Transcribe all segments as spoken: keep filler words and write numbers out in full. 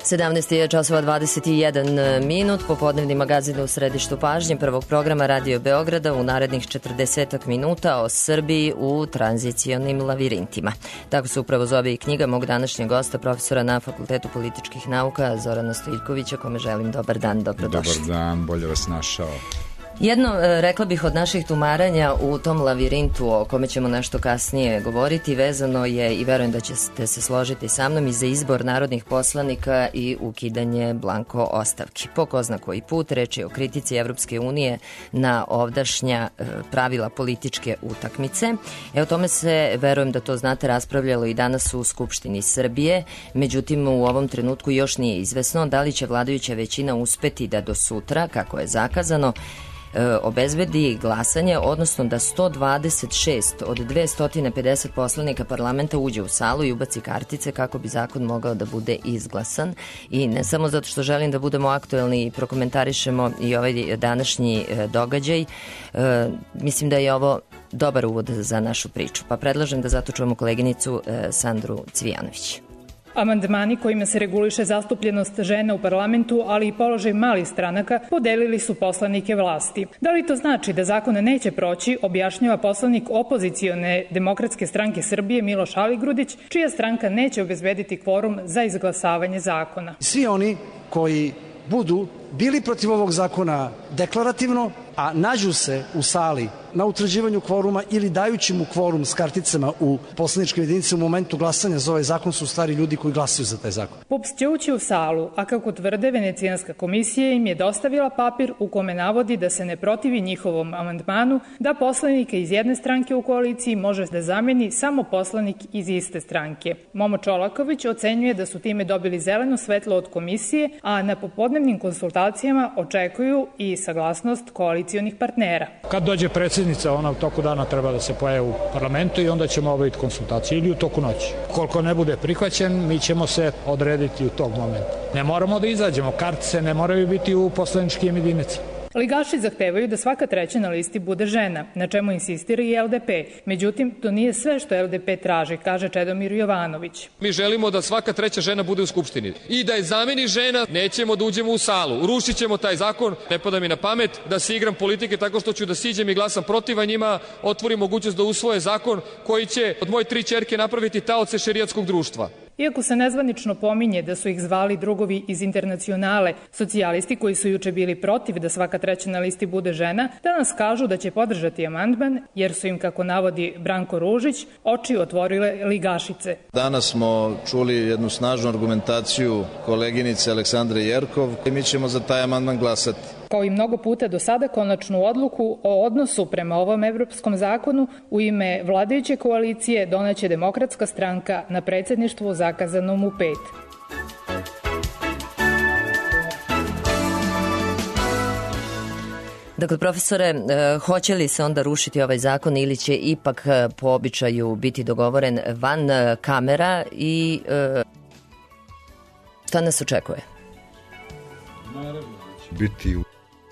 sedamnaest je časova dvadeset jedan minut, popodnevni magazin u središtu pažnje prvog programa Radio Beograda u narednih četrdesetak minuta o Srbiji u tranzicionim lavirintima. Tako se upravo zove i knjiga mog današnjeg gosta, profesora na Fakultetu političkih nauka Zorana Stojiljkovića, kome želim dobar dan, dobrodošli. Dobar dan, bolje vas našao. Jedno, rekla bih, od naših tumaranja u tom lavirintu o kome ćemo nešto kasnije govoriti vezano je, i verujem da ćete se složiti sa mnom, i za izbor narodnih poslanika i ukidanje blanko ostavki. Po ko zna koji put, reč je o kritici Evropske unije na ovdašnja pravila političke utakmice. E o tome se, verujem da to znate, raspravljalo i danas u Skupštini Srbije. Međutim, u ovom trenutku još nije izvesno da li će vladajuća većina uspeti da do sutra, kako je zakazano, obezbedi glasanje, odnosno da sto dvadeset šest od dvesta pedeset poslanika parlamenta uđe u salu i ubaci kartice kako bi zakon mogao da bude izglasan. I ne samo zato što želim da budemo aktuelni i prokomentarišemo i ovaj današnji događaj, mislim da je ovo dobar uvod za našu priču, pa predlažem da zato čujemo koleginicu Sandru Cvijanović. Amandmani kojima se reguliše zastupljenost žena u parlamentu, ali i položaj malih stranaka, podelili su poslanike vlasti. Da li to znači da zakon neće proći, objašnjava poslanik opozicione Demokratske stranke Srbije Miloš Aligrudić, čija stranka neće obezbediti kvorum za izglasavanje zakona. Svi oni koji budu bili protiv ovog zakona deklarativno, a nađu se u sali na utvrđivanju kvoruma ili dajući mu kvorum s karticama u poslaničke jedinice u momentu glasanja za ovaj zakon, su stari ljudi koji glasaju za taj zakon. P U P S će ući u salu, a kako tvrde, Venecijanska komisija im je dostavila papir u kome navodi da se ne protivi njihovom amandmanu, da poslanika iz jedne stranke u koaliciji može da zameni samo poslanik iz iste stranke. Momo Čolaković ocenjuje da su time dobili zeleno svetlo od komisije, a na popodnevnim konsultacijama očekuju i saglasnost koalicionih partnera. Kad dođe predsjednica, ona u toku dana treba da se pojavi u parlamentu i onda ćemo obaviti konsultacije ili u toku noći. Koliko ne bude prihvaćen, mi ćemo se odrediti u tog momenta. Ne moramo da izađemo, kartice ne moraju biti u poslaničkim jedinicama. Ligaši zahtevaju da svaka treća na listi bude žena, na čemu insistira i L D P. Međutim, to nije sve što L D P traži, kaže Čedomir Jovanović. Mi želimo da svaka treća žena bude u Skupštini i da je zameni žena, nećemo da uđemo u salu. Rušit ćemo taj zakon, ne pada mi na pamet da se igram politike tako što ću da siđem i glasam protiv, a njima otvori mogućnost da usvoje zakon koji će od moje tri ćerke napraviti taoce šerijatskog društva. Iako se nezvanično pominje da su ih zvali drugovi iz Internacionale, socijalisti koji su juče bili protiv da svaka treća na listi bude žena, danas kažu da će podržati amandman, jer su im, kako navodi Branko Ružić, oči otvorile ligašice. Danas smo čuli jednu snažnu argumentaciju koleginice Aleksandre Jerkov i mi ćemo za taj amandman glasati. Kao i mnogo puta do sada, konačnu odluku o odnosu prema ovom evropskom zakonu u ime vladajuće koalicije doneće Demokratska stranka na predsjedništvu zakazanom u pet. Dakle, profesore, hoće li se onda rušiti ovaj zakon ili će ipak po običaju biti dogovoren van kamera i šta nas očekuje? Biti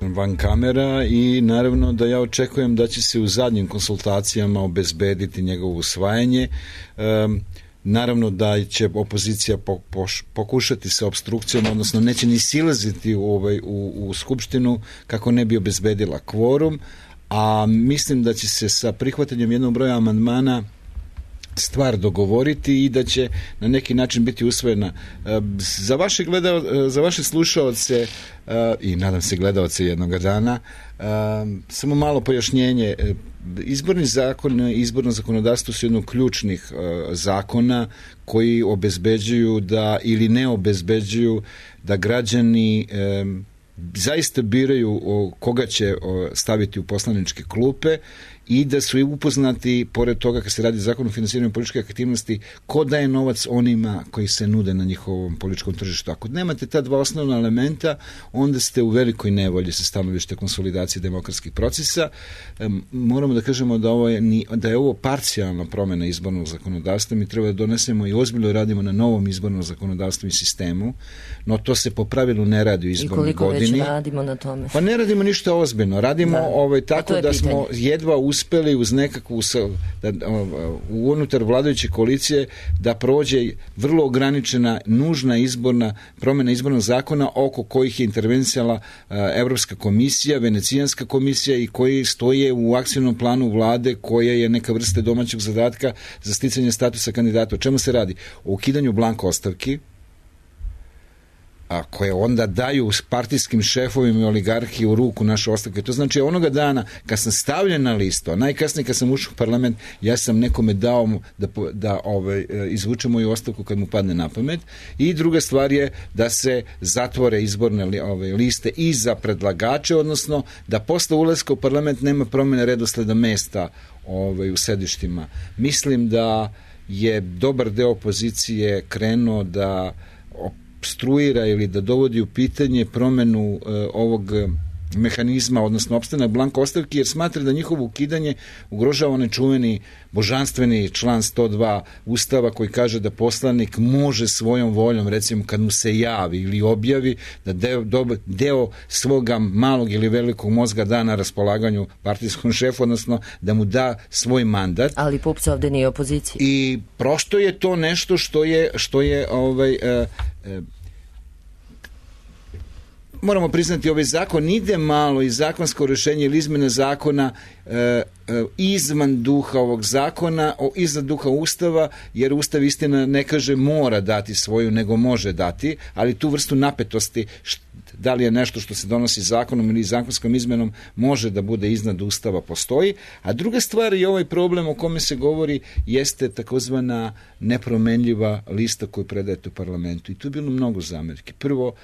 van kamera i naravno da ja očekujem da će se u zadnjim konsultacijama obezbediti njegovo usvajanje. Um, naravno da će opozicija pokušati sa opstrukcijom, odnosno neće ni silaziti u, ovaj, u, u skupštinu kako ne bi obezbedila kvorum, a mislim da će se sa prihvatanjem jednog broja amandmana stvar dogovoriti i da će na neki način biti usvojena. Za vaše, gledao, za vaše slušaoce i nadam se gledaoce jednog dana, samo malo pojašnjenje. Izborni zakon i izborno zakonodavstvo su jedno ključnih zakona koji obezbeđuju da ili ne obezbeđuju da građani zaista biraju koga će staviti u poslaničke klupe i da su i upoznati, pored toga kad se radi zakon o finansiranju političke aktivnosti, ko daje novac onima koji se nude na njihovom političkom tržištu. Ako nemate ta dva osnovna elementa, onda ste u velikoj nevolji sa stanovište konsolidacije demokratskih procesa. E, moramo da kažemo da, ovo je, da je ovo parcijalna promena izbornog zakonodavstva. Mi treba da donesemo i ozbiljno radimo na novom izbornom zakonodavstvu i sistemu, no to se po pravilu ne radi u izbornoj godini. I koliko već radimo na tome? Pa ne radimo ništa ozbiljno. Radimo da. ovaj, tako da pitanje. Smo jedva uspeli uspeli uz nekakvu da, unutar vladajuće koalicije da prođe vrlo ograničena nužna izborna promjena izbornog zakona oko kojih je intervencijala Evropska komisija, Venecijanska komisija i koji stoje u akcijnom planu vlade koja je neka vrsta domaćeg zadatka za sticanje statusa kandidata. O čemu se radi? O ukidanju blanko ostavki, a koje onda daju partijskim šefovima i oligarhiji u ruku naše ostavke. To znači onoga dana kad sam stavljen na listu, a najkasnije kad sam ušao u parlament, ja sam nekome dao da, da ovaj, izvuče moju ostavku kad mu padne na pamet. I druga stvar je da se zatvore izborne ovaj, liste i za predlagače, odnosno da posle ulaska u parlament nema promjene redosleda mesta ovaj, u sedištima. Mislim da je dobar deo opozicije krenuo da obstruira ili da dovodi u pitanje promenu uh, ovog mehanizma, odnosno opstanak blanko ostavki, jer smatra da njihovo ukidanje ugrožava onaj čuveni božanstveni član sto dva Ustava koji kaže da poslanik može svojom voljom, recimo kad mu se javi ili objavi, da deo, deo svoga malog ili velikog mozga da na raspolaganju partijskom šefu, odnosno da mu da svoj mandat. Ali P U P S ovde nije opozicija. I prosto je to nešto što je, što je ovaj, uh, uh, moramo priznati, ovaj zakon ide malo i zakonsko rješenje ili izmjena zakona e, e, izvan duha ovog zakona, o, izvan duha Ustava, jer Ustav istina ne kaže mora dati svoju, nego može dati, ali tu vrstu napetosti, št, da li je nešto što se donosi zakonom ili zakonskom izmenom, može da bude iznad Ustava, postoji. A druga stvar je ovaj problem o kome se govori, jeste takozvana nepromenljiva lista koju predajete u parlamentu. I tu je bilo mnogo zamerki. Prvo,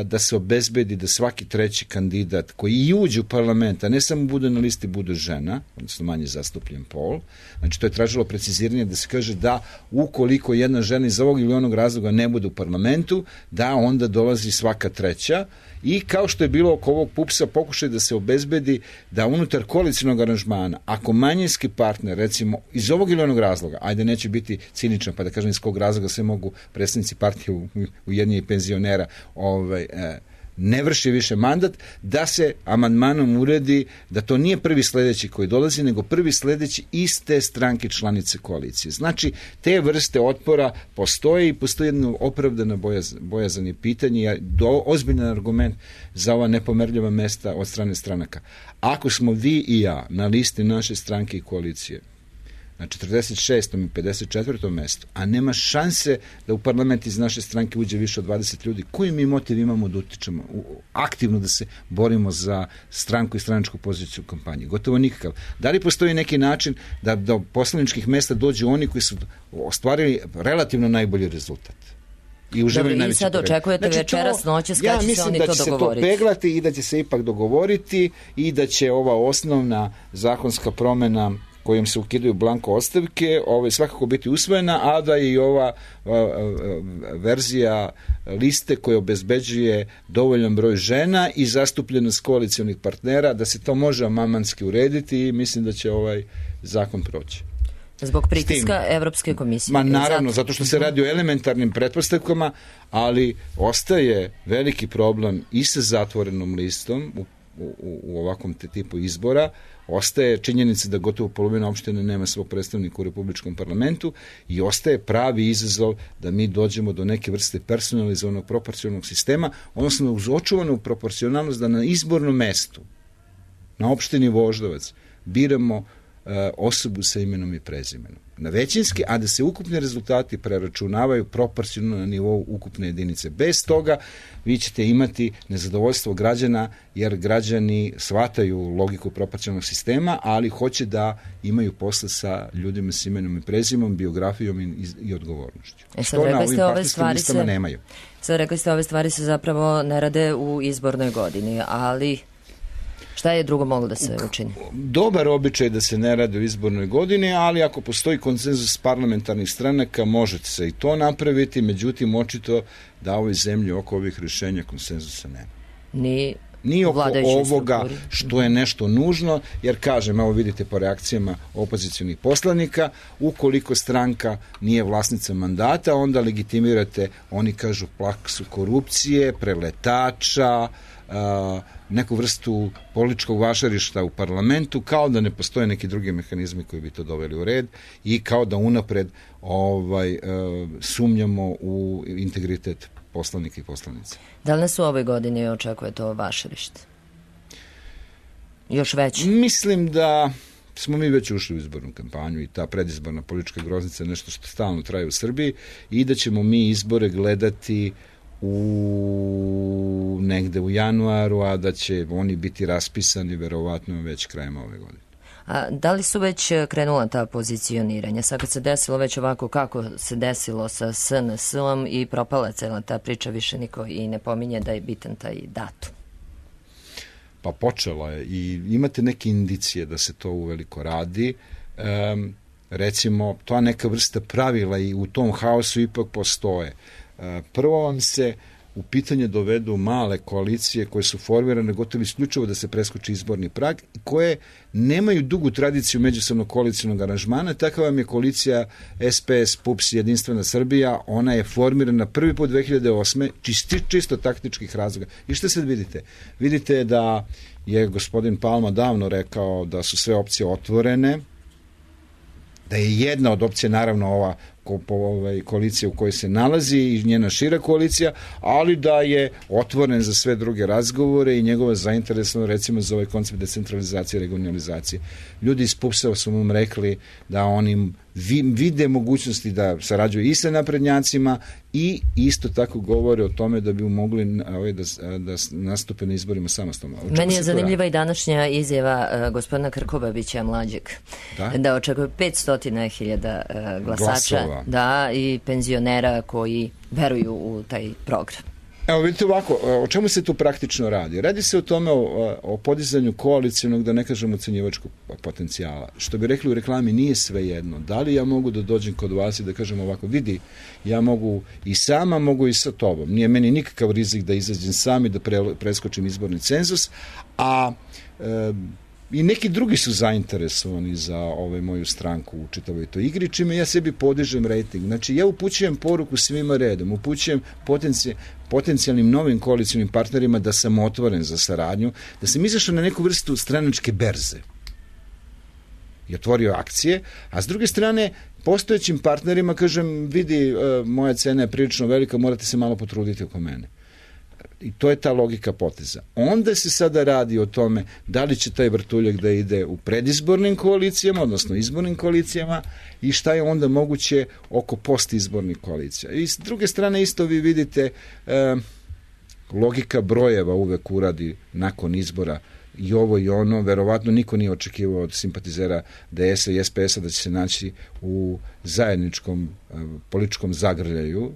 da se obezbedi da svaki treći kandidat koji i uđe u parlament, a ne samo bude na listi, bude žena, odnosno manje zastupljen pol. Znači, to je tražilo preciziranje da se kaže da ukoliko jedna žena iz ovog ili onog razloga ne bude u parlamentu, da onda dolazi svaka treća. I kao što je bilo oko ovog P U P S-a, pokušaj da se obezbedi da unutar koalicijnog aranžmana, ako manjinski partner, recimo, iz ovog ili onog razloga, ajde neće biti ciničan, pa da kažem iz kog razloga sve mogu predstavnici partije Ujedinjenih penzionera ovaj, eh, ne vrši više mandat, da se amandmanom uredi da to nije prvi sledeći koji dolazi, nego prvi sledeći iz te stranke članice koalicije. Znači, te vrste otpora postoje i postoji jedno opravdano bojaz, bojazan je pitanje, do, ozbiljan argument za ova nepomerljiva mesta od strane stranaka. Ako smo vi i ja na listi naše stranke i koalicije, na četrdeset šestom i pedeset četvrtom mestu, a nema šanse da u parlament iz naše stranke uđe više od dvadeset ljudi, koji mi motiv imamo da utičemo, aktivno da se borimo za stranku i stranačku poziciju u kampanji? Gotovo nikakav. Da li postoji neki način da do poslaničkih mesta dođu oni koji su ostvarili relativno najbolji rezultat? I uživaju najveći. Sad očekujete znači, večeras noćas kada ja će se oni to dogovoriti. Ja mislim da će se to peglati i da će se ipak dogovoriti i da će ova osnovna zakonska promjena kojim se ukidaju blanko ostavke, ovaj, svakako biti usvojena, a da i ova a, a, verzija liste koja obezbeđuje dovoljan broj žena i zastupljenost koalicionih partnera, da se to može amandmanski urediti i mislim da će ovaj zakon proći. Zbog pritiska Evropske komisije. Ma naravno, zato što se radi o elementarnim pretpostavkama, ali ostaje veliki problem i sa zatvorenom listom u, u, u ovakvom te tipu izbora. Ostaje činjenica da gotovo polovina opštine nema svog predstavnika u Republičkom parlamentu i ostaje pravi izazov da mi dođemo do neke vrste personalizovanog proporcionalnog sistema, odnosno uz očuvanu proporcionalnost da na izbornom mestu, na opštini Voždovac, biramo osobu sa imenom i prezimenom. Na većinski, a da se ukupni rezultati preračunavaju proporcionalno na nivou ukupne jedinice. Bez toga vi ćete imati nezadovoljstvo građana, jer građani shvataju logiku proporcionalnog sistema, ali hoće da imaju posla sa ljudima s imenom i prezimenom, biografijom i, i odgovornošću. E, Što na ovim partijskim listama se, nemaju. Sad rekli ste, ove stvari se zapravo ne rade u izbornoj godini, ali šta je drugo moglo da se učini? Dobar običaj da se ne radi u izbornoj godini, ali ako postoji konsenzus parlamentarnih stranaka, možete se i to napraviti, međutim, očito da ovoj zemlji oko ovih rješenja konsenzusa nema. Ni Ni oko ovoga strukturi. Što je nešto nužno, jer kažem, evo vidite po reakcijama opozicionih poslanika, ukoliko stranka nije vlasnica mandata, onda legitimirate, oni kažu, praksu korupcije, preletača, a, neku vrstu političkog vašarišta u parlamentu, kao da ne postoje neki drugi mehanizmi koji bi to doveli u red i kao da unapred ovaj, a, sumnjamo u integritet poslanika i poslanica. Da li nas u ovoj godini očekuje to vašarište? Još veći? Mislim da smo mi već ušli u izbornu kampanju i ta predizborna politička groznica je nešto što stalno traje u Srbiji i da ćemo mi izbore gledati u negde u januaru, a da će oni biti raspisani verovatno već krajem ove godine. A da li su već krenula ta pozicioniranja? Sad kad se desilo već ovako kako se desilo sa S N S-om i propala cela ta priča, više niko i ne pominje da je bitan taj datum. Pa počela je i imate neke indicije da se to uveliko radi. Um, recimo, to neka vrsta pravila i u tom haosu ipak postoje. Uh, prvo vam se u pitanje dovedu male koalicije koje su formirane gotovo isključivo da se preskoči izborni prag i koje nemaju dugu tradiciju međusobnog koalicijnog aranžmana. Takva vam je koalicija S P S, P U P S, Jedinstvena Srbija. Ona je formirana prvi put dve hiljade osme čisto, čisto taktičkih razloga. I šta sad vidite? Vidite da je gospodin Palma davno rekao da su sve opcije otvorene, da je jedna od opcija naravno ova ko, po, ovaj, koalicija u kojoj se nalazi i njena šira koalicija, ali da je otvoren za sve druge razgovore i njegova zainteresovana recimo za ovaj koncept decentralizacije i regionalizacije. Ljudi iz P U P S-a su mu rekli da oni vide mogućnosti da sarađuju i sa naprednjacima i isto tako govore o tome da bi mogli ovaj, da, da nastupe na izborima samostalno. Meni je zanimljiva i današnja izjava uh, gospodina Krkobabića mlađeg, da, da očekuje petsto hiljada uh, glasača. Glasova. Da, i penzionera koji veruju u taj program. Evo vidite ovako, o čemu se tu praktično radi? Radi se o tome o, o podizanju koalicijnog, da ne kažem ocenjivačkog potencijala. Što bi rekli u reklami, nije sve jedno. Da li ja mogu da dođem kod vas i da kažem ovako, vidi, ja mogu i sama, mogu i sa tobom. Nije meni nikakav rizik da izađem sam i da pre, preskočim izborni cenzus, a e, i neki drugi su zainteresovani za ovaj moju stranku u čitavoj toj igri, čime ja sebi podižem rejting. Znači, ja upućujem poruku svima redom, upućujem potenci, potencijalnim novim koalicijnim partnerima da sam otvoren za saradnju, da sam izašao na neku vrstu stranačke berze i otvorio akcije, a s druge strane, postojećim partnerima kažem, vidi, moja cena je prilično velika, morate se malo potruditi oko mene. I to je ta logika poteza. Onda se sada radi o tome da li će taj vrtuljak da ide u predizbornim koalicijama, odnosno izbornim koalicijama i šta je onda moguće oko postizbornih koalicija. I s druge strane isto vi vidite eh, logika brojeva uvek uradi nakon izbora i ovo i ono, verovatno niko nije očekivao od simpatizera D S-a i S P S-a da će se naći u zajedničkom eh, političkom zagrljaju.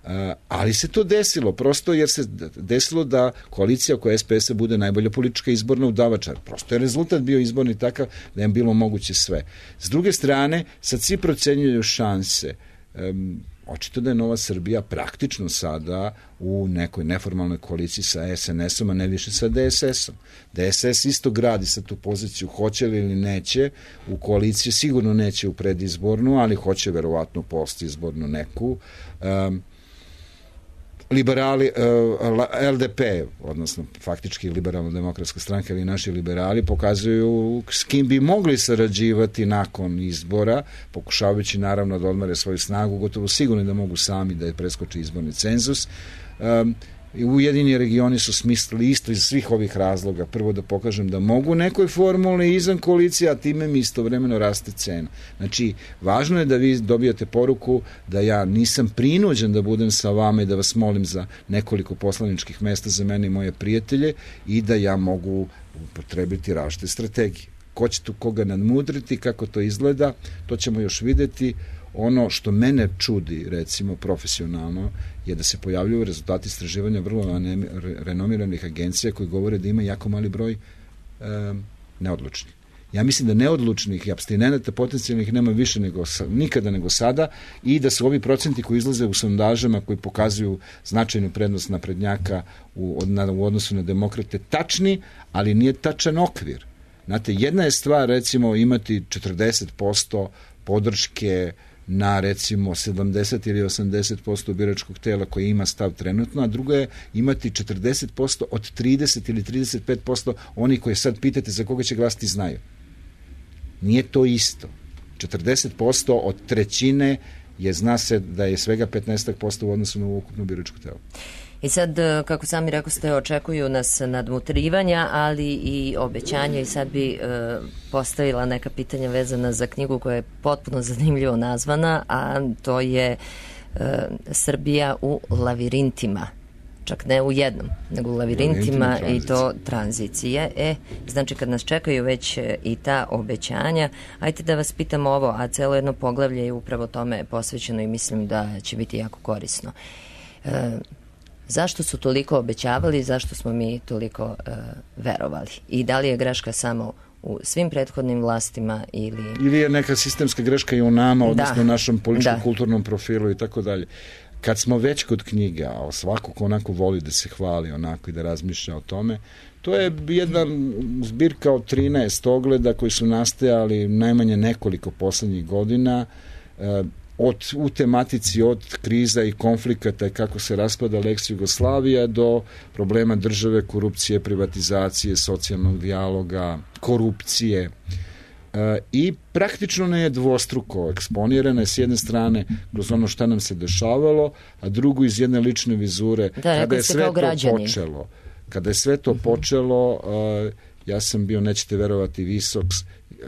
Uh, ali se to desilo, prosto jer se desilo da koalicija oko S P S-a bude najbolja politička izborna udavača. Prosto je rezultat bio izborni takav da je bilo moguće sve. S druge strane, sad svi procenjuju šanse. Um, očito da je Nova Srbija praktično sada u nekoj neformalnoj koaliciji sa S N S-om, a ne više sa D S S-om. D S S isto gradi sa tu poziciju, hoće li ili neće, u koaliciji sigurno neće u predizbornu, ali hoće verovatno postizbornu neku. Um, liberali, L D P, odnosno faktički liberalno-demokratska stranka ili naši liberali pokazuju s kim bi mogli sarađivati nakon izbora, pokušavajući naravno da odmare svoju snagu, gotovo sigurno da mogu sami da je preskoči izborni cenzus. Um, Ujedinjeni regioni su smislili isto iz svih ovih razloga. Prvo da pokažem da mogu nekoj formuli izvan koalicije, a time mi istovremeno raste cena. Znači, važno je da vi dobijate poruku da ja nisam prinuđen da budem sa vama i da vas molim za nekoliko poslaničkih mesta za mene i moje prijatelje i da ja mogu upotrebiti različite strategije. Ko će tu koga nadmudriti, kako to izgleda, to ćemo još videti. Ono što mene čudi, recimo, profesionalno, je da se pojavljuju rezultati istraživanja vrlo renomiranih agencija koji govore da ima jako mali broj e, neodlučnih. Ja mislim da neodlučnih i apstinenata potencijalnih nema više nego nikada nego sada i da su ovi procenti koji izlaze u sondažama koji pokazuju značajnu prednost naprednjaka u, od, u odnosu na demokrate tačni, ali nije tačan okvir. Znate, jedna je stvar recimo imati četrdeset posto podrške na recimo sedamdeset ili osamdeset posto biračkog tela koji ima stav trenutno, a drugo je imati četrdeset posto od trideset ili trideset pet posto oni koji sad pitate za koga će glasiti znaju. Nije to isto. četrdeset posto od trećine je, zna se da je svega petnaest posto u odnosu na ukupno biračko telo. I sad, kako sami rekao ste, očekuju nas nadmutrivanja, ali i obećanja, i sad bi e, postavila neka pitanja vezana za knjigu koja je potpuno zanimljivo nazvana, a to je e, Srbija u lavirintima. Čak ne u jednom, nego u lavirintima i to tranzicije. E, znači kad nas čekaju već i ta obećanja, ajte da vas pitam ovo, a celo jedno poglavlje je upravo tome posvećeno i mislim da će biti jako korisno. E, zašto su toliko obećavali, zašto smo mi toliko e, verovali? I da li je greška samo u svim prethodnim vlastima ili... Ili je neka sistemska greška i u nama, odnosno u našem političko-kulturnom profilu i tako dalje. Kad smo već kod knjiga, a svako ko onako voli da se hvali onako i da razmišlja o tome, to je jedna zbirka od trinaest ogleda koji su nastajali najmanje nekoliko poslednjih godina, od, u tematici od kriza i konflikata i kako se raspada Lex Jugoslavija do problema države, korupcije, privatizacije, socijalnog dijaloga, korupcije. I praktično ne je dvostruko eksponirana je s jedne strane kroz ono šta nam se dešavalo, a drugo iz jedne lične vizure. Da, kada je sve to počelo, kada je sve to uh-huh. počelo, uh, ja sam bio, nećete verovati, visok,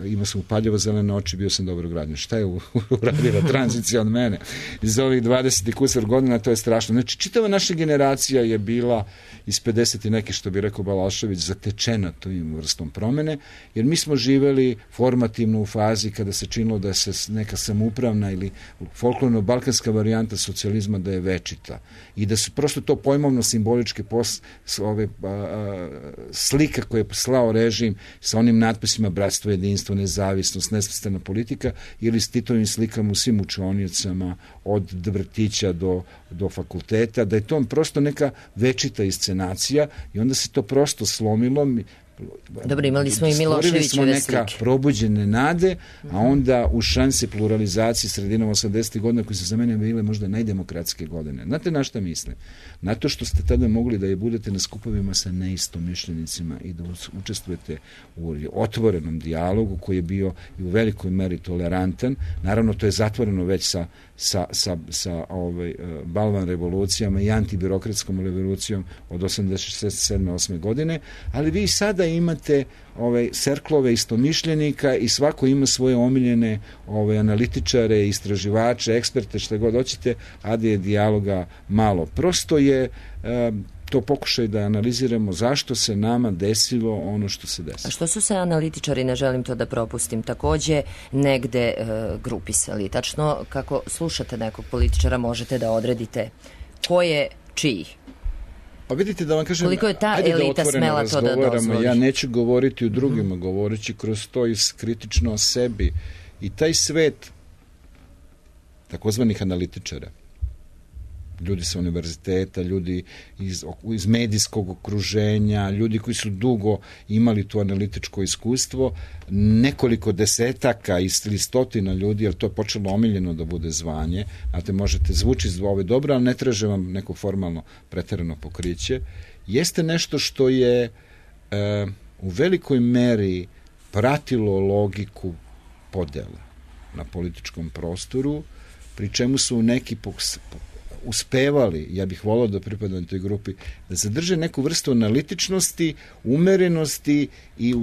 imao sam upaljivo zelene oči, bio sam dobro građan. Šta je uradila tranzicija od mene? Iz ovih dvadeset i kusar godina, to je strašno. Znači, čitava naša generacija je bila iz pedeset i neke, što bi rekao Balašević, zatečena tom vrstom promene, jer mi smo živeli formativno u fazi kada se činilo da se neka samoupravna ili folklorno-balkanska varijanta socijalizma da je večita i da su prosto to pojmovno simboličke pos, ove, a, a, slika koje je slao režim sa onim natpisima bratstvo, jedinstvo, nezavisnost, nesvrstana politika ili s Titovim slikama u svim učionicama od vrtića do, do fakulteta, da je to prosto neka večita iscenacija i onda se to prosto slomilo. Dobro, imali smo i Miloševićeve slike. Neka probuđene nade, a onda u šanse pluralizacije sredinom osamdesetih godina koje su za mene bile možda najdemokratske godine. Znate na šta mislim? Na to što ste tada mogli da je budete na skupovima sa neistomišljenicima i da učestvujete u otvorenom dijalogu koji je bio i u velikoj meri tolerantan. Naravno, to je zatvoreno već sa, sa, sa, sa ovaj, balvan revolucijama i antibirokratskom revolucijom od osamdeset sedme osme godine, ali vi sada imate ove serklove istomišljenika i svako ima svoje omiljene ove analitičare, istraživače, eksperte, šta god hoćete, a da je dijaloga malo. Prosto je e, to pokušaj da analiziramo zašto se nama desilo ono što se desilo. A što su se analitičari, ne želim to da propustim, takođe negde e, grupisali? Tačno kako slušate nekog političara možete da odredite ko je čiji? Pa vidite da vam kažem, koliko je ta ajde elita da smela to da dozvoli? Ja neću govoriti o drugima, mm-hmm. govoreći kroz to i kritično o sebi. I taj svet takozvanih analitičara, ljudi sa univerziteta, ljudi iz, iz medijskog okruženja, ljudi koji su dugo imali tu analitičko iskustvo, nekoliko desetaka ili stotina ljudi, jer to je počelo omiljeno da bude zvanje, znate, možete zvuči zove dobro, ali ne traže vam neko formalno preterano pokriće, jeste nešto što je e, u velikoj meri pratilo logiku podela na političkom prostoru, pri čemu su neki pok- uspevali, ja bih volao da pripadam toj grupi, da zadrže neku vrstu analitičnosti, umerenosti i,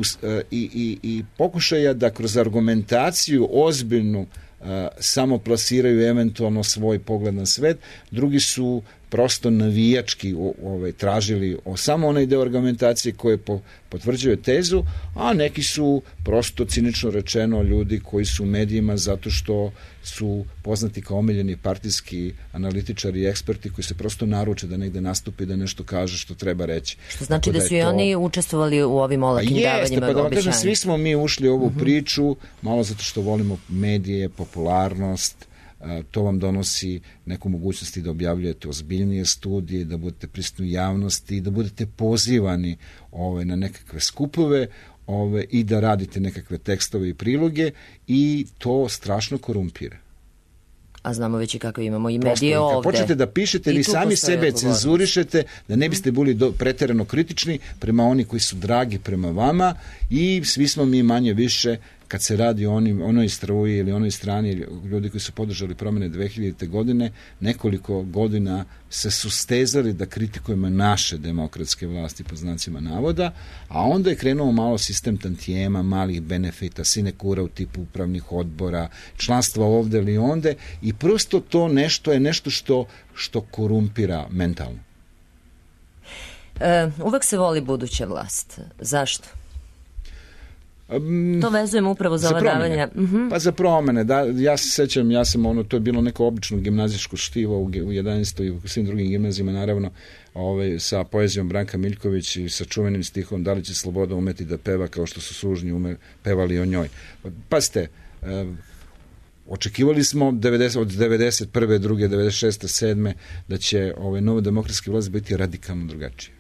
i, i, i pokušaja da kroz argumentaciju ozbiljnu a, samo plasiraju eventualno svoj pogled na svet. Drugi su prosto navijački ovaj, tražili o samo onaj deo argumentacije koje po, potvrđuje tezu, a neki su prosto cinično rečeno ljudi koji su u medijima zato što su poznati kao omiljeni partijski analitičari i eksperti koji se prosto naruče da negde nastupi da nešto kaže što treba reći. Što znači da, da su i to... oni učestvovali u ovim olakim davanjima obećanja. Pa da vam kažem, svi smo mi ušli u ovu uh-huh. priču, malo zato što volimo medije, popularnost, to vam donosi neku mogućnost da objavljujete ozbiljnije studije, da budete prisutni u javnosti, da budete pozivani ove, na nekakve skupove ove, i da radite nekakve tekstove i priloge i to strašno korumpira. A znamo već i kako imamo i medije Prosto, ovde. Počnete da pišete, vi sami sebe cenzurišete, da ne biste bili do, preterano kritični prema oni koji su dragi prema vama i svi smo mi manje više, kad se radi o onim, onoj struji ili onoj strani ljudi koji su podržali promene dve hiljadite. godine, nekoliko godina se sustezali da kritikujemo naše demokratske vlasti pod znacima navoda, a onda je krenuo malo sistem tantijema, malih benefita, sinekura u tipu upravnih odbora, članstva ovde ili onde i prosto to nešto je nešto što, što korumpira mentalno. E, uvek se voli buduća vlast. Zašto? To vezujem upravo za, za ova davanja. Uh-huh. Pa za promene, da, ja se sećam, ja sam ono, to je bilo neko obično gimnazijsko štivo u, u jedanaestoj i u svim drugim gimnazijama, naravno, ovaj, sa poezijom Branka Miljković i sa čuvenim stihom Da li će sloboda umeti da peva kao što su sužnji ume, pevali o njoj. Pazite, eh, očekivali smo devedeset, od devedeset prve, druge, devedeset šeste, sedme da će ovaj, nova demokratska vlast biti radikalno drugačija.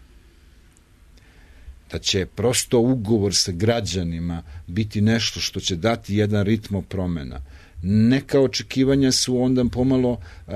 Da će prosto ugovor sa građanima biti nešto što će dati jedan ritmo promena. Neka očekivanja su onda pomalo uh,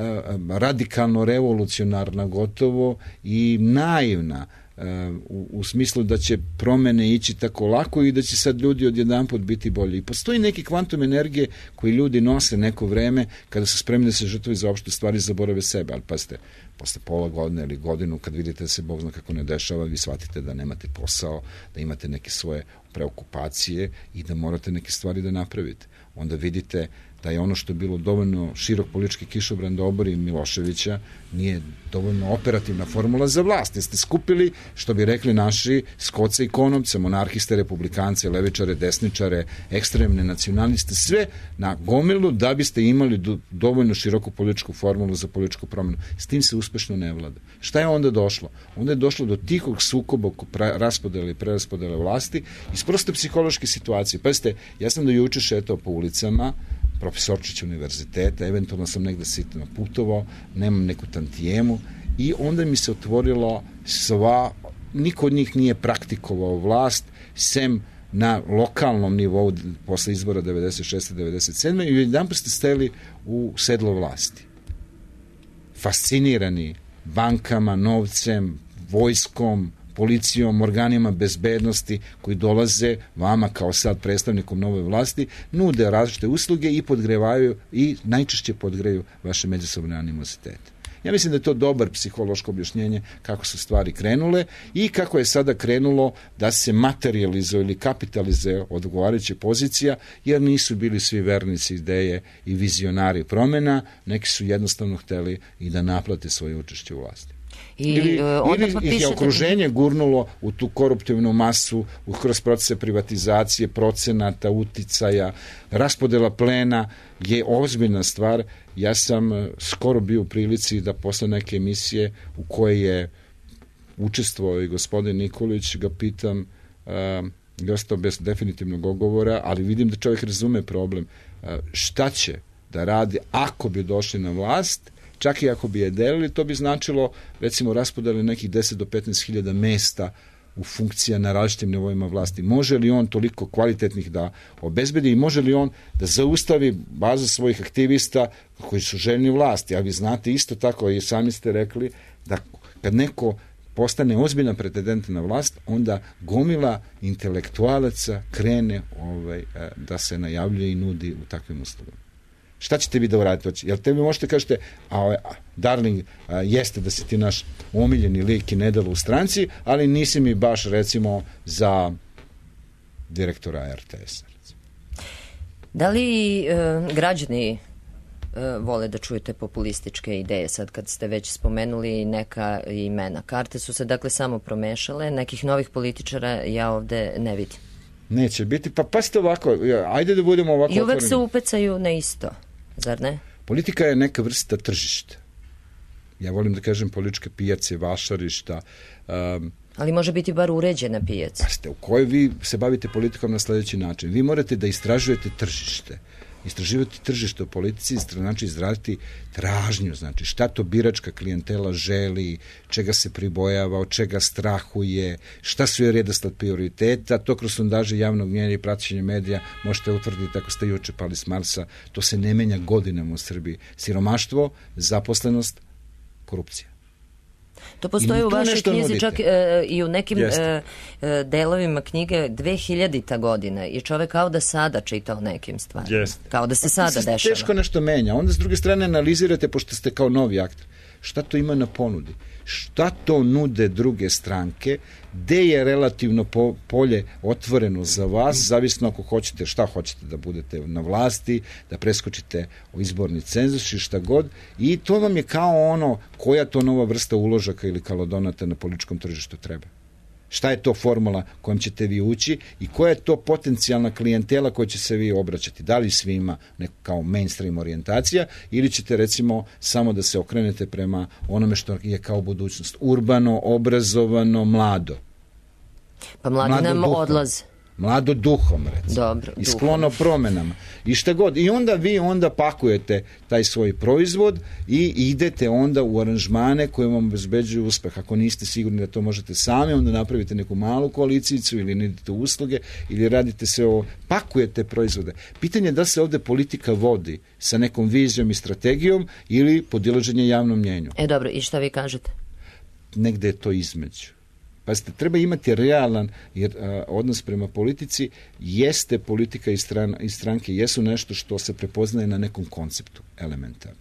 radikalno revolucionarna gotovo i naivna uh, u, u smislu da će promene ići tako lako i da će sad ljudi odjedanput biti bolji. I postoji neki kvantum energije koji ljudi nose neko vreme kada su spremni da se žrtvuju za opšte stvari, zaborave sebe, ali pazite, posle pola godine ili godinu, kad vidite da se Bog zna kako ne dešava, vi shvatite da nemate posao, da imate neke svoje preokupacije i da morate neke stvari da napravite. Onda vidite da je ono što je bilo dovoljno širok politički kišobran da obori Miloševića nije dovoljno operativna formula za vlast. Jeste skupili, što bi rekli naši, skoce i konopce, monarhiste, republikance, levičare, desničare, ekstremne nacionaliste, sve na gomilu da biste imali do, dovoljno široku političku formulu za političku promenu. S tim se uspešno ne vlada. Šta je onda došlo? Onda je došlo do tihog sukoba oko raspodele i preraspodele vlasti iz proste psihološke situacije. Pazite, ja sam do juče šetao po ulicama profesorčić univerziteta, eventualno sam negde sitno putovao, nemam neku tantijemu i onda mi se otvorilo sva, niko od njih nije praktikovao vlast, sem na lokalnom nivou posle izbora devedeset šeste devedeset sedme i jedan ste steli u sedlo vlasti. Fascinirani bankama, novcem, vojskom, policijom, organima bezbednosti koji dolaze vama kao sad predstavnikom nove vlasti, nude različite usluge i podgrevaju i najčešće podgreju vaše međusobne animozitete. Ja mislim da je to dobar psihološko objašnjenje kako su stvari krenule i kako je sada krenulo da se materializuje ili kapitalizuje odgovarajuća pozicija, jer nisu bili svi vernici ideje i vizionari promena, neki su jednostavno hteli i da naplate svoje učešće u vlasti. I, ili, uh, ili ih je okruženje gurnulo u tu koruptivnu masu, u kroz procese privatizacije, procenata, uticaja, raspodela plena je ozbiljna stvar. Ja sam skoro bio u prilici da posle neke emisije u kojoj je učestvovao i gospodin Nikolić, ga pitam, uh, je ostao bez definitivnog ogovora, ali vidim da čovjek razume problem. Uh, šta će da radi ako bi došli na vlast, čak i ako bi je delili, to bi značilo, recimo, raspodeli nekih deset do petnaest hiljada mesta u funkcija na različitim nivoima vlasti. Može li on toliko kvalitetnih da obezbedi i može li on da zaustavi bazu svojih aktivista koji su željni vlasti? A vi znate isto tako, i sami ste rekli, da kad neko postane ozbiljna pretendent na vlast, onda gomila intelektualaca krene ovaj, da se najavljuje i nudi u takvim uslugama. Šta ćete vi da uradite? Jel te vi možete kažete, a, a, darling, a, jeste da si ti naš omiljeni lik i nedelo u stranci, ali nisi mi baš, recimo, za direktora er te esa. Recimo. Da li e, građani e, vole da čujete populističke ideje, sad kad ste već spomenuli neka imena? Karte su se dakle samo promešale, nekih novih političara ja ovde ne vidim. Neće biti, pa pasite ovako, ajde da budemo ovako i uvek otvoreni. Se upecaju na isto, zar ne? Politika je neka vrsta tržišta. Ja volim da kažem političke pijace, vašarišta. Um, Ali može biti bar uređena pijaca. Pasite, u kojoj vi se bavite politikom na sledeći način. Vi morate da istražujete tržište. Istraživati tržište u politici znači izraditi tražnju, znači šta to biračka klijentela želi, čega se pribojava, od čega strahuje, šta su je redosled prioriteta, to kroz sondaže javnog mnjenja i praćenje medija možete utvrditi ako ste juče pali s Marsa, to se ne menja godinama u Srbiji. Siromaštvo, zaposlenost, korupcija. To postoji u vašoj knjizi nudite. Čak e, i u nekim e, e, delovima knjige dve hiljadita godina i čovek kao da sada čita o nekim stvarima. Jeste. Kao da se sada se dešava. Teško nešto menja. Onda s druge strane analizirate, pošto ste kao novi aktor, šta to ima na ponudi? Šta to nude druge stranke? Gde je relativno po, polje otvoreno za vas, zavisno ako hoćete, šta hoćete da budete na vlasti, da preskočite u izborni cenzus i šta god. I to vam je kao ono, koja to nova vrsta uložaka ili kalodonata na političkom tržištu treba. Šta je to formula kojom ćete vi ući i koja je to potencijalna klijentela koja će se vi obraćati? Da li svima neko kao mainstream orijentacija ili ćete recimo samo da se okrenete prema onome što je kao budućnost? Urbano, obrazovano, mlado. Pa mladi mlado nam duhom. Odlaze. Mlado duhom, recimo. Dobro, I sklono promenama. I šta god. I onda vi onda pakujete taj svoj proizvod i idete onda u aranžmane koje vam obezbeđuju uspeh. Ako niste sigurni da to možete sami, onda napravite neku malu koalicijicu ili nudite usluge ili radite sve ovo. Pakujete proizvode. Pitanje je da se ovde politika vodi sa nekom vizijom i strategijom ili podilaženje javnom mnjenju. E dobro, i šta vi kažete? Negde je to između. Pazite, treba imati realan jer, a, odnos prema politici, jeste politika i, stran, i stranke, jesu nešto što se prepoznaje na nekom konceptu, elementarno.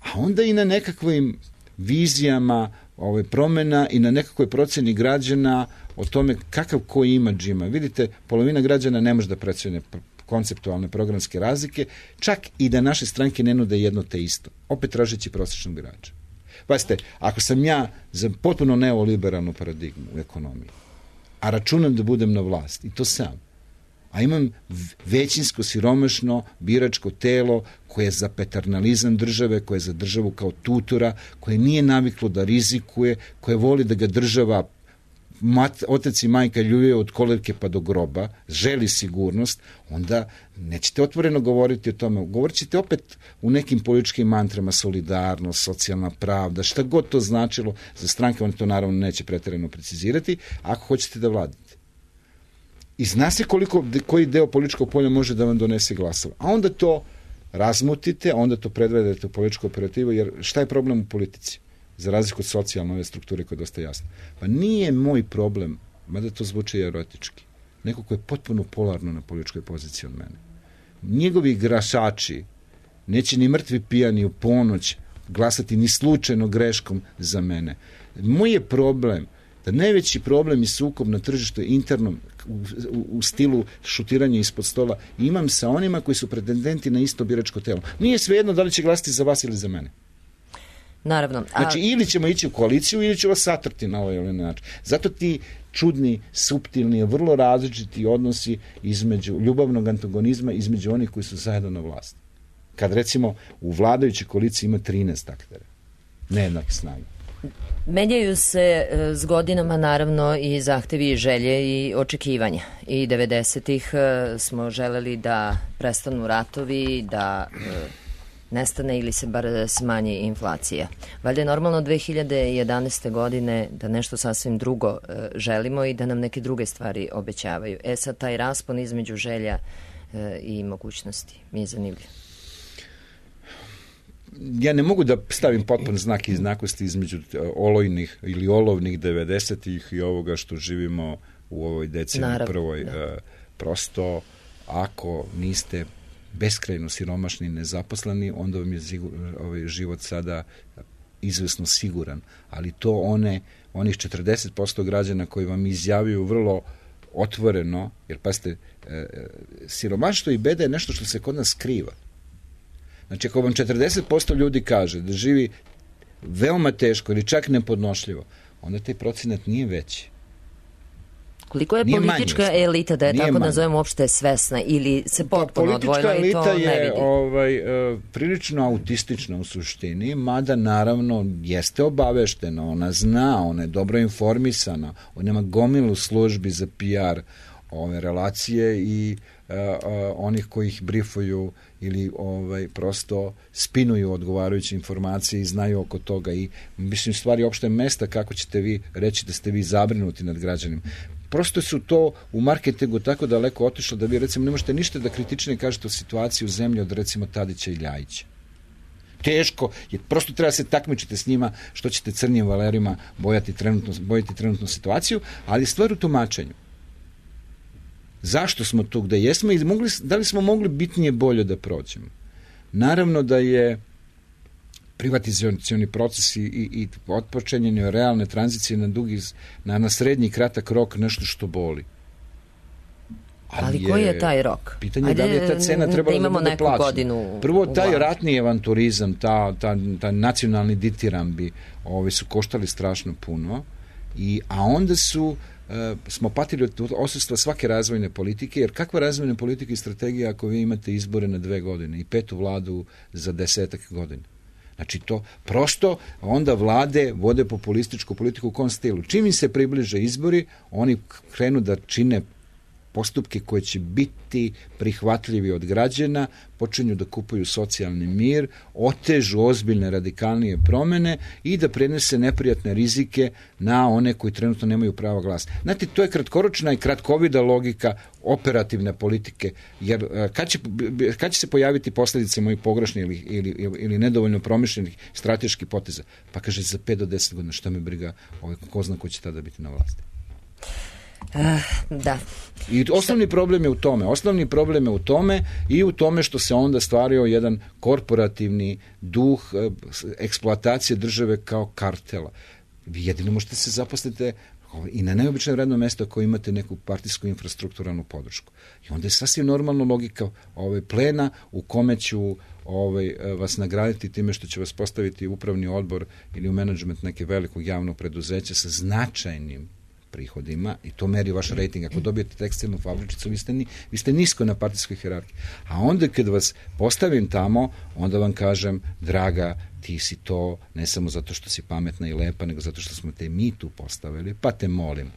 A onda i na nekakvim vizijama ove, promena i na nekakvoj proceni građana o tome kakav ko imidž ima. Vidite, polovina građana ne može da procene konceptualne programske razlike, čak i da naše stranke ne nude jedno te isto, opet tražeći prosječnog birača. Pazite, ako sam ja za potpuno neoliberalnu paradigmu u ekonomiji, a računam da budem na vlast, i to sam, a imam većinsko siromašno biračko telo koje je za paternalizam države, koje je za državu kao tutora, koje nije naviklo da rizikuje, koje voli da ga država Mat, otac i majka ljubije od kolevke pa do groba, želi sigurnost, onda nećete otvoreno govoriti o tome. Govorit ćete opet u nekim političkim mantrama, solidarnost, socijalna pravda, šta god to značilo za stranke, on to naravno neće pretjerano precizirati, ako hoćete da vladate. I zna se koliko, koji deo političkog polja može da vam donese glasova. A onda to razmutite, onda to predvedete u političku operativu, jer šta je problem u politici? Za razliku od socijalne ove strukture koja je dosta jasna. Pa nije moj problem, mada to zvuči erotički, neko ko je potpuno polarno na političkoj poziciji od mene. Njegovi glasači neće ni mrtvi pijani u ponoć glasati ni slučajno greškom za mene. Moj je problem da najveći problem i sukob na tržištu internom u, u, u stilu šutiranja ispod stola imam sa onima koji su pretendenti na isto biračko telo. Nije svejedno da li će glasati za vas ili za mene. Naravno. A... Znači, ili ćemo ići u koaliciju, ili će vas satrti na ovaj ili način. Zato ti čudni, suptilni, vrlo različiti odnosi između ljubavnog antagonizma između onih koji su zajedno na vlasti. Kad, recimo, u vladajućoj koaliciji ima trinaest aktera. Nejednake snage. Menjaju se s godinama naravno i zahtevi i želje i očekivanja. I devedesetih smo želeli da prestanu ratovi, da nestane ili se bar smanji inflacija. Valjda je normalno dve hiljade jedanaeste. godine da nešto sasvim drugo želimo i da nam neke druge stvari obećavaju. E sad, taj raspon između želja i mogućnosti mi je zanimljiv. Ja ne mogu da stavim potpun znak jednakosti između olojnih ili olovnih devedesetih i ovoga što živimo u ovoj deceniji prvoj. Da. Prosto, ako niste beskrajno siromašni i nezaposleni, onda vam je ovaj život sada izvesno siguran. Ali to one, onih četrdeset posto građana koji vam izjavaju vrlo otvoreno, jer pazite, siromaštvo i beda je nešto što se kod nas skriva. Znači, ako vam četrdeset posto ljudi kaže da živi veoma teško ili čak nepodnošljivo, onda taj procenat nije veći. Koliko je nije politička manji, elita, da je tako manji. Nazovemo, uopšte svesna ili se potpuno odvojila i to ne vidi? Politička elita je ovaj, uh, prilično autistična u suštini, mada naravno jeste obaveštena, ona zna, ona je dobro informisana, ona ima gomilu službi za P R ove relacije i uh, uh, onih koji ih brifuju ili ovaj, prosto spinuju odgovarajuće informacije i znaju oko toga i mislim stvari opšte mesta kako ćete vi reći da ste vi zabrinuti nad građanima. Prosto su to u marketingu tako daleko otišlo da vi recimo ne možete ništa da kritičnije kažete o situaciji u zemlji od recimo Tadića i Ljajića. Teško, je, prosto treba se takmičiti s njima što ćete crnim valerima bojati trenutno, bojati trenutnu situaciju, ali stvar u tumačenju. Zašto smo tu gde jesmo i mogli, da li smo mogli bitnije bolje da prođemo? Naravno da je privatizacioni proces i, i otpočinjenje realne tranzicije na dugi, na, na srednji i kratak rok nešto što boli. Ali, Ali koji je taj rok? Pitanje je da li je ta cena trebala da, da bude plaćena. Prvo, taj ratni avanturizam, ta, ta, ta nacionalni ditirambi ovi su koštali strašno puno, i, a onda su e, smo patili od odsustva svake razvojne politike, jer kakva razvojna politika i strategija ako vi imate izbore na dve godine i petu vladu za desetak godina? Znači to prosto onda vlade vode populističku politiku u kom stilu. Čim im se približe izbori, oni krenu da čine postupke koje će biti prihvatljivi od građana, počinju da kupuju socijalni mir, otežu ozbiljne radikalnije promene i da prenese neprijatne rizike na one koji trenutno nemaju pravo glasa. Znate, to je kratkoročna i kratkovida logika operativne politike, jer kad će, kad će se pojaviti posljedice mojih pogrešnih ili, ili, ili nedovoljno promišljenih strateških poteza? Pa kaže, za pet do deset godina, šta me briga, ovaj, ko zna ko će tada biti na vlasti. Uh, da. I osnovni problem je u tome. Osnovni problem je u tome i u tome što se onda stvario jedan korporativni duh eksploatacije države kao kartela. Vi jedino možete se zaposliti i na neobično radno mesto ako imate neku partijsku infrastrukturalnu podršku. I onda je sasvim normalna logika ovaj plena u kome ću ovaj, vas nagraditi time što će vas postaviti upravni odbor ili u menadžment neke velikog javnog preduzeća sa značajnim prihodima i to meri vaš rating. Ako dobijete tekstilnu fabričicu, vi ste, ni, vi ste nisko na partijskoj hijerarhiji. A onda kad vas postavim tamo, onda vam kažem, draga, ti si to ne samo zato što si pametna i lepa, nego zato što smo te mi tu postavili, pa te molim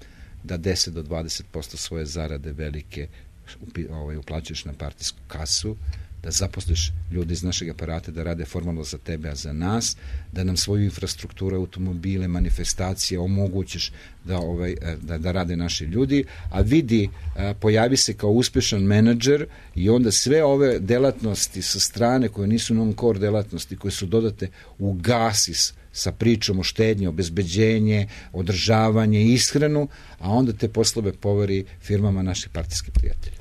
da deset do dvadeset posto svoje zarade velike ovaj, uplaćuješ na partijsku kasu, da zaposliš ljudi iz našeg aparata da rade formalno za tebe, a za nas, da nam svoju infrastrukturu, automobile, manifestacije omogućiš da, ovaj, da, da rade naši ljudi, a vidi, pojavi se kao uspešan menadžer i onda sve ove delatnosti sa strane koje nisu non-core delatnosti, koje su dodate, ugasi sa pričom o štednji, obezbeđenje, održavanje, ishranu, a onda te poslove poveri firmama naših partijskih prijatelja.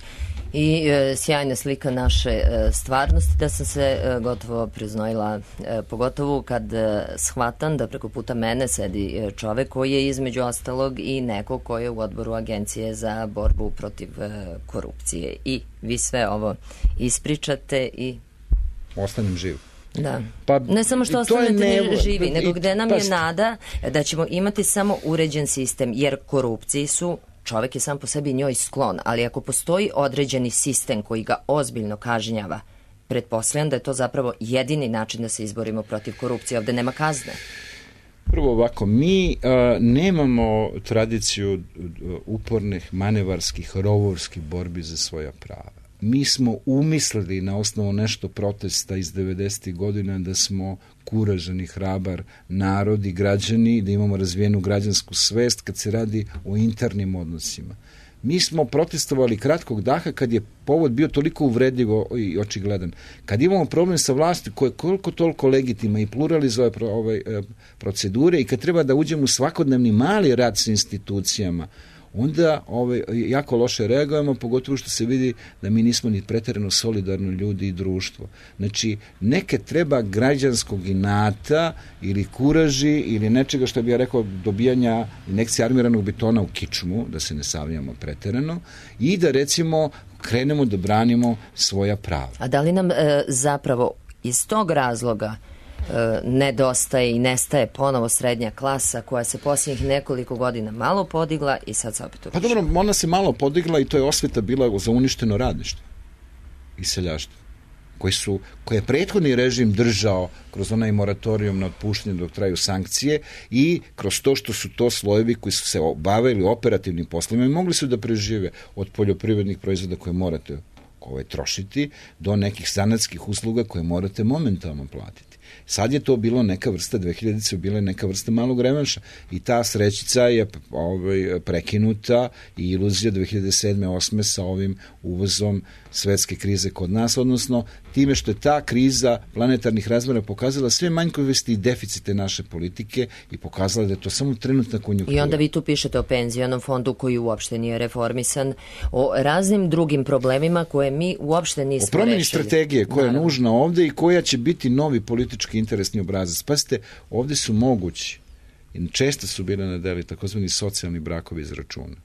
I e, sjajna slika naše e, stvarnosti, da sam se e, gotovo priznojila, e, pogotovo kad e, shvatam da preko puta mene sedi e, čovek koji je između ostalog i neko koji je u odboru Agencije za borbu protiv e, korupcije. I vi sve ovo ispričate i ostanem živ. Da. Pa, ne samo što ostanete ne, živi, nego i, gde nam pa, je nada da ćemo imati samo uređen sistem, jer korupciji su čovek je sam po sebi njoj sklon, ali ako postoji određeni sistem koji ga ozbiljno kažnjava, pretpostavljam da je to zapravo jedini način da se izborimo protiv korupcije. Ovde nema kazne. Prvo ovako, mi a, nemamo tradiciju upornih, manevarskih, rovovskih borbi za svoja prava. Mi smo umislili na osnovu nešto protesta iz devedesetih godina da smo kuražan i hrabar narod i građani, da imamo razvijenu građansku svest kad se radi o internim odnosima. Mi smo protestovali kratkog daha kad je povod bio toliko uvredljivo i očigledan. Kad imamo problem sa vlasti koja je koliko toliko legitima i pluralizuje ove procedure i kad treba da uđemo u svakodnevni mali rad sa institucijama, onda ovaj, jako loše reagujemo, pogotovo što se vidi da mi nismo ni preterano solidarno ljudi i društvo. Znači, neke treba građanskog inata ili kuraži ili nečega što bi ja rekao dobijanja injekcije armiranog betona u kičmu, da se ne savljamo preterano, i da recimo krenemo da branimo svoja prava. A da li nam e, zapravo iz tog razloga nedostaje i nestaje ponovo srednja klasa koja se posljednjih nekoliko godina malo podigla i sad se opet urušila? Pa dobro, ona se malo podigla i to je osveta bila za uništeno radništvo i seljaštvo, koji su, koje je prethodni režim držao kroz onaj moratorijum na otpuštanje dok traju sankcije i kroz to što su to slojevi koji su se bavili operativnim poslovima i mogli su da prežive od poljoprivrednih proizvoda koje morate ovaj, trošiti, do nekih zanatskih usluga koje morate momentalno platiti. Sad je to bilo neka vrsta, dve hiljadice bila je neka vrsta malog revanša i ta srećica je ovaj, prekinuta i iluzija dve hiljade sedme osme sa ovim uvozom svetske krize kod nas, odnosno time što je ta kriza planetarnih razmera pokazala sve manjkovosti i deficite naše politike i pokazala da je to samo trenutna konjunktura. I onda vi tu pišete o penzionom fondu koji uopšte nije reformisan, o raznim drugim problemima koje mi uopšte nismo rešili. O promjeni strategije koja je nužna ovde i koja će biti novi politički interesni obrazac. Pazite, ovde su mogući, i često su bile na deli takozvani socijalni brakovi iz računa,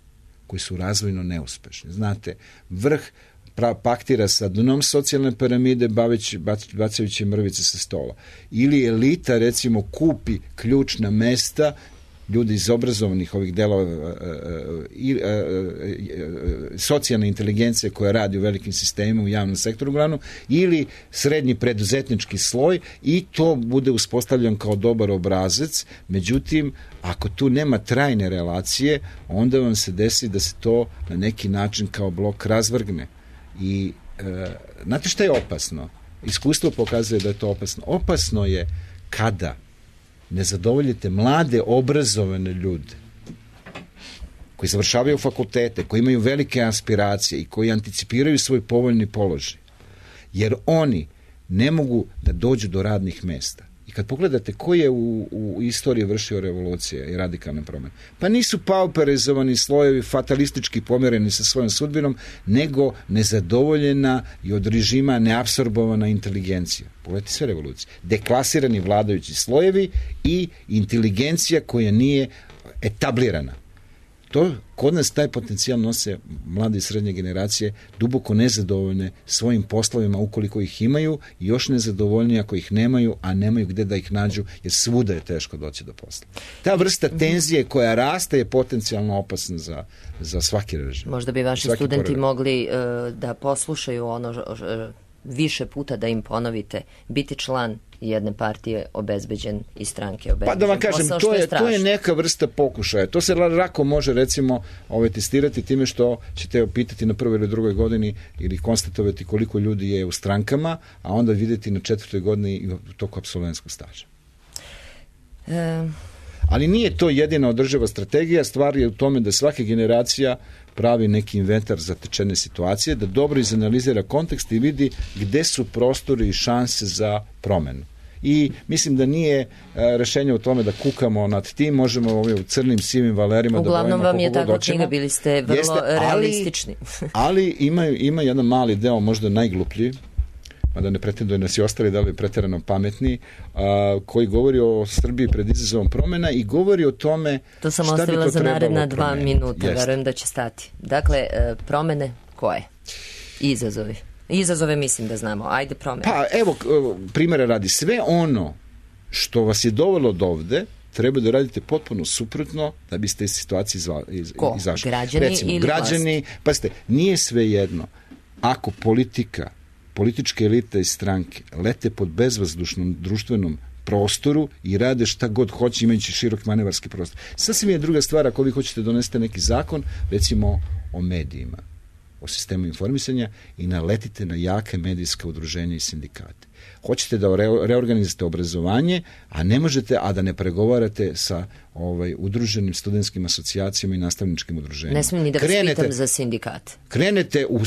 koji su razvojno neuspešni. Znate, vrh paktira sa dnom socijalne piramide baveći, bacajući mrvice sa stola. Ili elita, recimo, kupi ključna mesta, ljudi iz obrazovanih ovih delova i socijalne inteligencije koja radi u velikim sistemima u javnom sektoru uglavnom, ili srednji preduzetnički sloj i to bude uspostavljen kao dobar obrazac. Međutim, ako tu nema trajne relacije, onda vam se desi da se to na neki način kao blok razvrgne. I e, znate šta je opasno? Iskustvo pokazuje da je to opasno. Opasno je kada ne zadovoljite mlade, obrazovane ljude koji završavaju fakultete, koji imaju velike aspiracije i koji anticipiraju svoj povoljni položaj. Jer oni ne mogu da dođu do radnih mesta. I kad pogledate ko je u, u istoriji vršio revolucije i radikalne promjene, pa nisu pauperizovani slojevi fatalistički pomereni sa svojom sudbinom, nego nezadovoljena i od režima neapsorbovana inteligencija. Pogledajte sve revolucije. Deklasirani vladajući slojevi i inteligencija koja nije etablirana. To, kod nas taj potencijal nose mlade i srednje generacije duboko nezadovoljne svojim poslovima ukoliko ih imaju i još nezadovoljnije ako ih nemaju, a nemaju gde da ih nađu jer svuda je teško doći do posla. Ta vrsta tenzije koja raste je potencijalno opasna za, za svaki režim. Možda bi vaši studenti pored. mogli uh, da poslušaju ono uh, više puta da im ponovite, biti član jedne partije obezbeđen i stranke obezbeđen. Pa da vam kažem, to je, to je neka vrsta pokušaja. To se lako može recimo ovaj, testirati time što ćete pitati na prvoj ili drugoj godini ili konstatovati koliko ljudi je u strankama, a onda vidjeti na četvrtoj godini i u toku apsolventskog staža. E... Ali nije to jedina održiva strategija, stvar je u tome da svaka generacija pravi neki inventar zatečene situacije, da dobro izanalizira kontekst i vidi gde su prostori i šanse za promenu. I mislim da nije rešenje u tome da kukamo nad tim, možemo ovim u crnim sivim valerima uglavnom da vam je tako knjiga, bili ste vrlo Jeste, ali, realistični. ali ima, ima jedan mali deo, možda najgluplji, mada ne pretenduje nas i ostali da li je preterano pametni, a, koji govori o Srbiji pred izazovom promena i govori o tome to sam šta bi to trebalo ostavila za naredna dva promeniti. minuta, Jeste. Verujem da će stati. Dakle, promene koje? Izazovi. Izazove mislim da znamo. Ajde promene. Pa evo, primjera radi. Sve ono što vas je dovelo do ovde treba da radite potpuno suprotno da biste iz situacije izva, iz, Ko? izašli. Građani Recimo, ili građani, pa ste, nije sve jedno. Ako politika političke elite i stranke lete pod bezvazdušnom društvenom prostoru i rade šta god hoće imajući širok manevarski prostor. Sasvim je druga stvar ako vi hoćete donesete neki zakon, recimo o medijima, o sistemu informisanja i naletite na jake medijska udruženja i sindikate. Hoćete da reorganizate obrazovanje, a ne možete, a da ne pregovarate sa ovaj, udruženim studentskim asocijacijama i nastavničkim udruženjima. Ne smijem ni da vas krenete, pitam za sindikat. Krenete u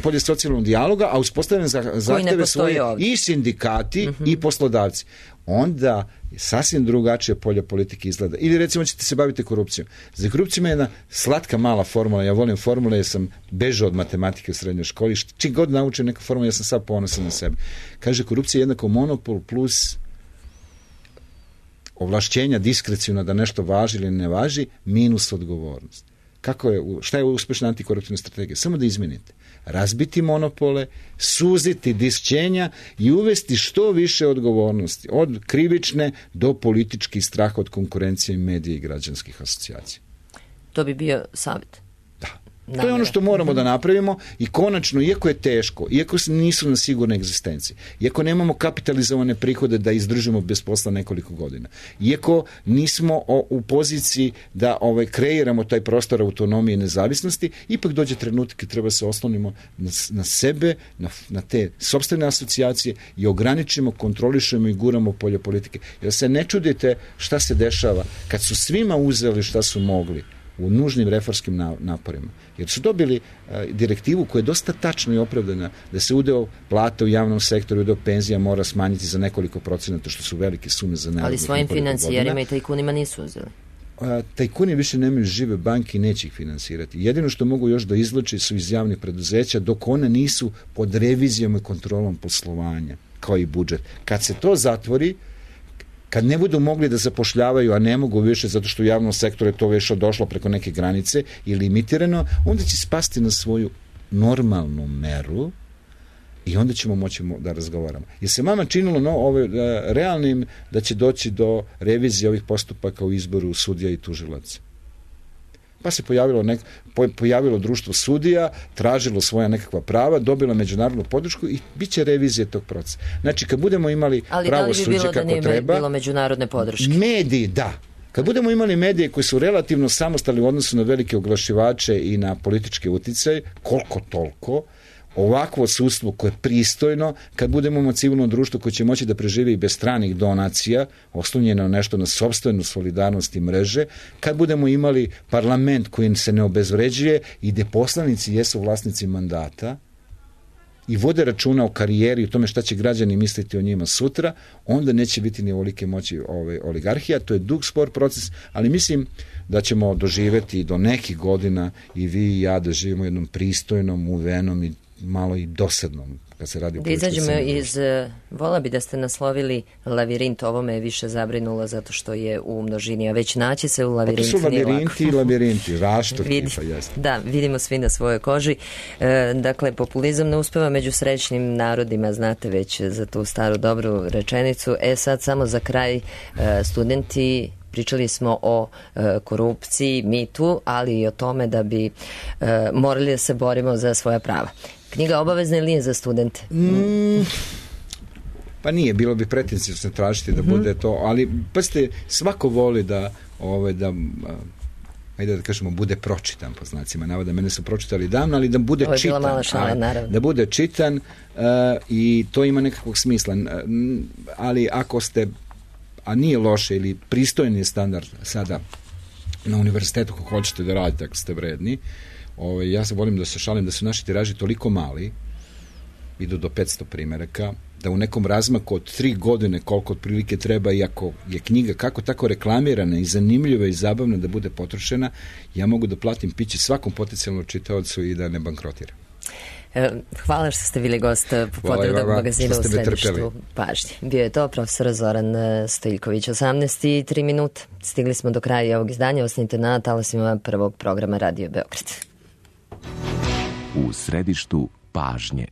polje socijalnog dijaloga, a uspostavljene zahteve svoje ovdje. I sindikati uh-huh. i poslodavci. Onda sasvim drugačije polje politike izgleda. Ili recimo ćete se baviti korupcijom. Za korupcijom je jedna slatka mala formula. Ja volim formule jer sam bežao od matematike u srednjoj školi. Čim god naučim neka formula, ja sam sad ponosan na sebe. Kaže, korupcija je jednako monopol plus ovlašćenja diskrecijno da nešto važi ili ne važi, minus odgovornost. Kako je, šta je uspešna antikoruptivna strategija? Samo da izmenite. Razbiti monopole, suziti disćenja i uvesti što više odgovornosti. Od krivične do političkih straha od konkurencije medija i građanskih asocijacija. To bi bio savjet. Da. namera. To je ono što moramo mm-hmm. da napravimo i konačno, iako je teško, iako nisu na sigurnoj egzistenciji, iako nemamo kapitalizovane prihode da izdržimo bez posla nekoliko godina, iako nismo o, u poziciji da ovaj, kreiramo taj prostor autonomije i nezavisnosti, ipak dođe trenutak kad treba se oslonimo na, na sebe, na, na te sopstvene asocijacije i ograničimo, kontrolišemo i guramo polje politike. Jer se ne čudite šta se dešava kad su svima uzeli šta su mogli u nužnim reformskim naporima. Jer su dobili a, direktivu koja je dosta tačna i opravdana da se udeo plata u javnom sektoru, udeo penzija mora smanjiti za nekoliko procenata, što su velike sume za narednih. Ali svojim financijerima i tajkunima nisu uzeli. A, tajkuni više nemaju žive banke i neće ih finansirati. Jedino što mogu još da izvlače su iz javnih preduzeća dok one nisu pod revizijom i kontrolom poslovanja, kao i budžet. Kad se to zatvori, kad ne budu mogli da zapošljavaju, a ne mogu više zato što u javnom sektoru je to više došlo preko neke granice i limitirano, onda će spasti na svoju normalnu meru i onda ćemo moći da razgovaramo. Jer se vama činilo no, ove, realnim da će doći do revizije ovih postupaka u izboru sudija i tužilaca. Pa se pojavilo, nek, pojavilo društvo sudija, tražilo svoja nekakva prava, dobilo međunarodnu podršku i bit će revizije tog procesa. Znači, kad budemo imali pravo suđe kako treba... Ali da li bi bilo da nije bilo međunarodne podrške? Mediji, da. Kad budemo imali medije koji su relativno samostalni u odnosu na velike oglašivače i na političke uticaje, koliko toliko, ovakvo sudstvo koje je pristojno, kad budemo imamo civilno društvo koje će moći da preživi i bez stranih donacija, oslonjeno nešto na sopstvenu solidarnost i mreže, kad budemo imali parlament koji se ne obezvređuje i gde poslanici jesu vlasnici mandata i vode računa o karijeri i o tome šta će građani misliti o njima sutra, onda neće biti ni ovolike moći ove oligarhija. To je dug spor proces, ali mislim da ćemo doživeti do nekih godina i vi i ja da živimo u jednom pristojnom, uvenom i malo i dosadnom kad se radi o da izađemo iz, vola bi da ste naslovili lavirint, ovo me je više zabrinulo zato što je u množini, a već naći se u lavirint nije lako. To su lavirinti i lavirinti, rašto Vidi, tipa, jeste. Da, vidimo svi na svojoj koži. E, dakle, populizam ne uspeva među srećnim narodima, znate već za tu staru dobru rečenicu. E sad samo za kraj, e, studenti, pričali smo o e, korupciji, mitu, ali i o tome da bi e, morali da se borimo za svoja prava. Knjiga obavezna ili nije za studente? Mm, pa nije, bilo bi pretencijno tražiti da bude to, ali pa ste, svako voli da, ove, da ajde da kažemo, bude pročitan, po znacima navoda. Mene su pročitali davno, ali da bude Ovo je čitan. Bila mala šala, naravno. Da bude čitan uh, i to ima nekakvog smisla. Uh, ali ako ste, a nije loše ili pristojni standard sada na univerzitetu kako hoćete da radite, ako ste vredni, Ove, ja se volim da se šalim da su naši tiraži toliko mali, idu do petsto primeraka, da u nekom razmaku od tri godine koliko otprilike treba, iako je knjiga kako tako reklamirana i zanimljiva i zabavna da bude potrošena, ja mogu da platim piće svakom potencijalnom čitaocu i da ne bankrotiram. Hvala što ste bili gost Popodnevnog magazina u središtu pažnje. Bio je to profesor Zoran Stojiljković. osamnaest i tri minuta. Stigli smo do kraja ovog izdanja. Ostanite na talasima prvog programa Radio Beograd. U središtu pažnje.